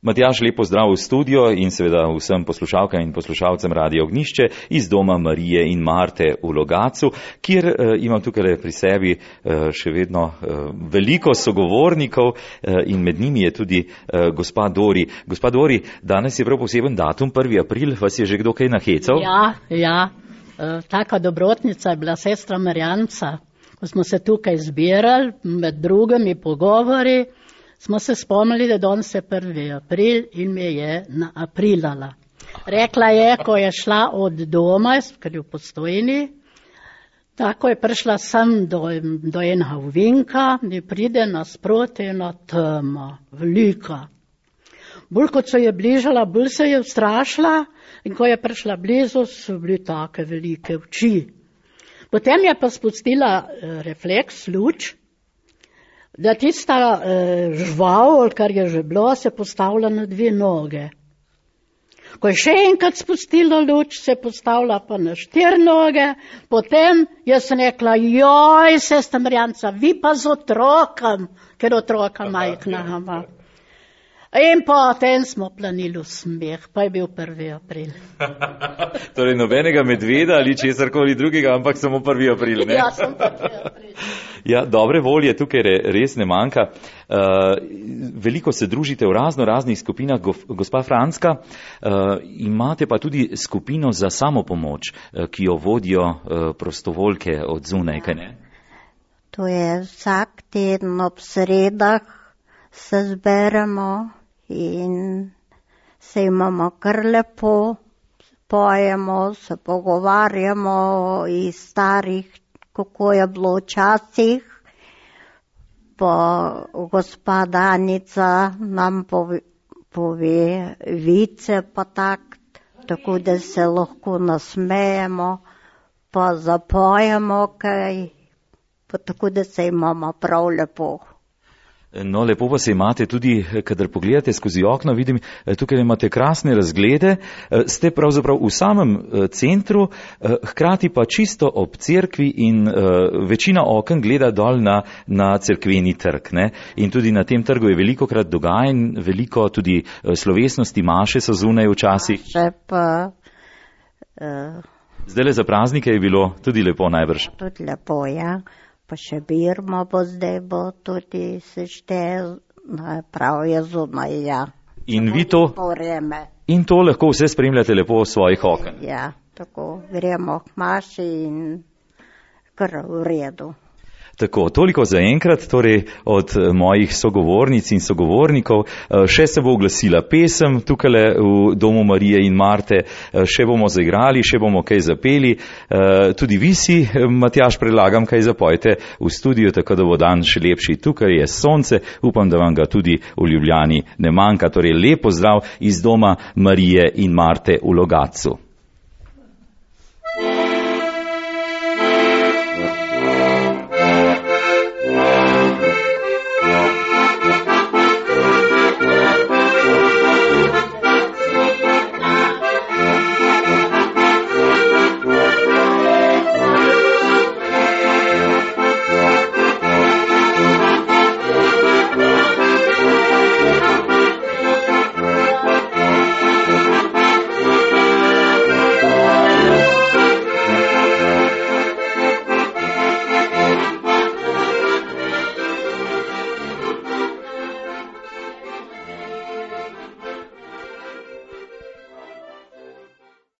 Matjaž, lep pozdrav v studio in seveda vsem poslušalkam in poslušalcem Radia Ognjišče iz doma Marije in Marte v Logatcu, kjer imam tukaj pri sebi še vedno veliko sogovornikov in med njimi je tudi gospa Dori. Gospa Dori, danes je prav poseben datum, 1. april, vas je že kdo kaj nahecal? Ja, taka dobrotnica je bila sestra Marjanca, ko smo se tukaj zbirali, med drugimi pogovori, smo se spomnili, da danes je 1. april in me je naaprilala. Rekla je, ko je šla od doma, ker je v Postojni, tako je prišla sem do enega ovinka, mi pride nasproti ena tema, velika. Bolj kot se je bližala, bolj se je ustrašila in ko je prišla blizu, so bili take velike oči. Potem je pa spustila refleks, luč, da tista žval, kar je že bilo, se postavlja na 2 noge. Ko je še enkrat spustila luč, se postavlja pa na 4 noge, potem jaz sem rekla, joj, sestra Marjanca, vi pa z otrokom, ker otroka majhna ima. In potem smo planili v smeh, pa je bil 1. april. Torej nobenega medveda ali česarkoli drugega, ampak samo 1. april, ne? Ja, sem 1. april. Ja, dobre volje tukaj res ne manjka. Veliko se družite v raznih skupinah. Gospa Franska, imate pa tudi skupino za samopomoč, ki jo vodijo prostovoljke od zunaj, kaj ne? To je vsak teden ob sredah se zberemo in se imamo kar lepo, pojemo, se pogovarjamo iz starih, kako je bilo včasih. Pa gospa Danica nam pove vice pa tako da se lahko nasmejemo, pa zapojemo kaj, pa tako da se imamo prav lepo. No, lepo pa se imate tudi, kadar pogledate skozi okno, vidim, tukaj imate krasne razglede, ste pravzaprav v samem centru, hkrati pa čisto ob cerkvi in večina oken gleda dol na cerkveni trg, ne? In tudi na tem trgu je velikokrat dogajanj, veliko tudi slovesnosti, maše so zunaj včasih. Zdajle za praznike je bilo tudi lepo najbrž. Tudi lepo, ja. Pa še birmo bo zdaj, bo tudi se šteje, prav je zunaj, ja. In to lahko vse spremljate lepo v svojih oken. Ja, tako gremo k maši in kar v redu. Tako, toliko za enkrat, torej od mojih sogovornic in sogovornikov. Še se bo oglasila pesem tukaj v domu Marije in Marte, še bomo zaigrali, še bomo kaj zapeli. Tudi vi si, Matjaž, predlagam, kaj zapojte v studiu, tako da bo dan še lepši. Tukaj je sonce, upam, da vam ga tudi v Ljubljani ne manjka. Torej, lep pozdrav iz doma Marije in Marte v Logatcu.